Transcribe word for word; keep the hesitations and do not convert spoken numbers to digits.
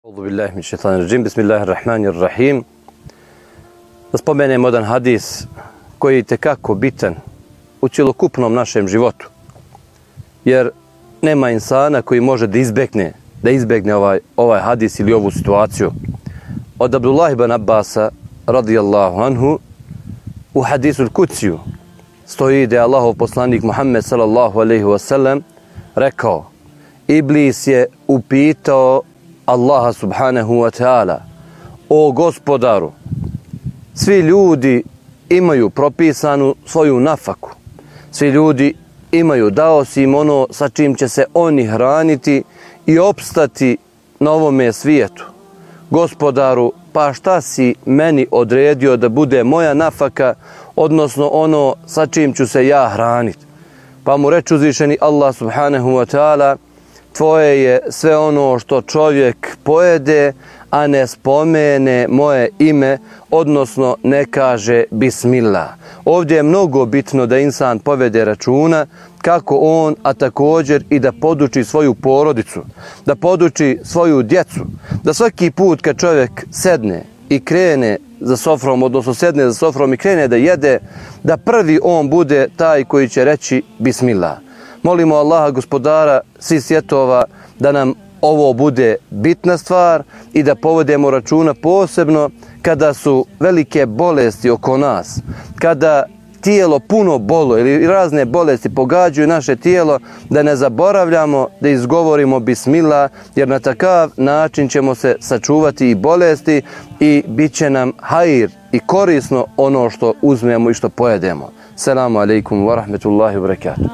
Auzu billahi min šejtanir racim. Bismillahirrahmanirrahim. Da spomenemo jedan hadis koji je itekako bitan u cjelokupnom našem životu. Jer nema insana koji može da izbegne, da izbegne ovaj, ovaj hadis ili ovu situaciju. Od Abdullah ibn Abbasa radijallahu anhu u hadisu al-Kudsiju stoji da je Allahov poslanik Muhammed sallallahu alejhi ve sellem rekao: Iblis je upitao Allaha subhanahu wa ta'ala: O gospodaru, svi ljudi imaju propisanu svoju nafaku, svi ljudi imaju, dao si im ono sa čim će se oni hraniti i opstati na ovome svijetu. Gospodaru, pa šta si meni odredio da bude moja nafaka, odnosno ono sa čim ću se ja hraniti? Pa mu reče uzvišeni Allah subhanahu wa ta'ala: Tvoje je sve ono što čovjek pojede, a ne spomene moje ime, odnosno ne kaže bismillah. Ovdje je mnogo bitno da insan povede računa kako on, a također i da poduči svoju porodicu, da poduči svoju djecu, da svaki put kad čovjek sedne i krene za sofrom, odnosno sedne za sofrom i krene da jede, da prvi on bude taj koji će reći bismillah. Molimo Allaha gospodara svih svjetova da nam ovo bude bitna stvar i da povedemo računa posebno kada su velike bolesti oko nas, kada tijelo puno bolo ili razne bolesti pogađaju naše tijelo, da ne zaboravljamo da izgovorimo bismillah, jer na takav način ćemo se sačuvati i bolesti i bit će nam hajir i korisno ono što uzmemo i što pojedemo. Selamu alaikum wa rahmetullahi wa barakatuh.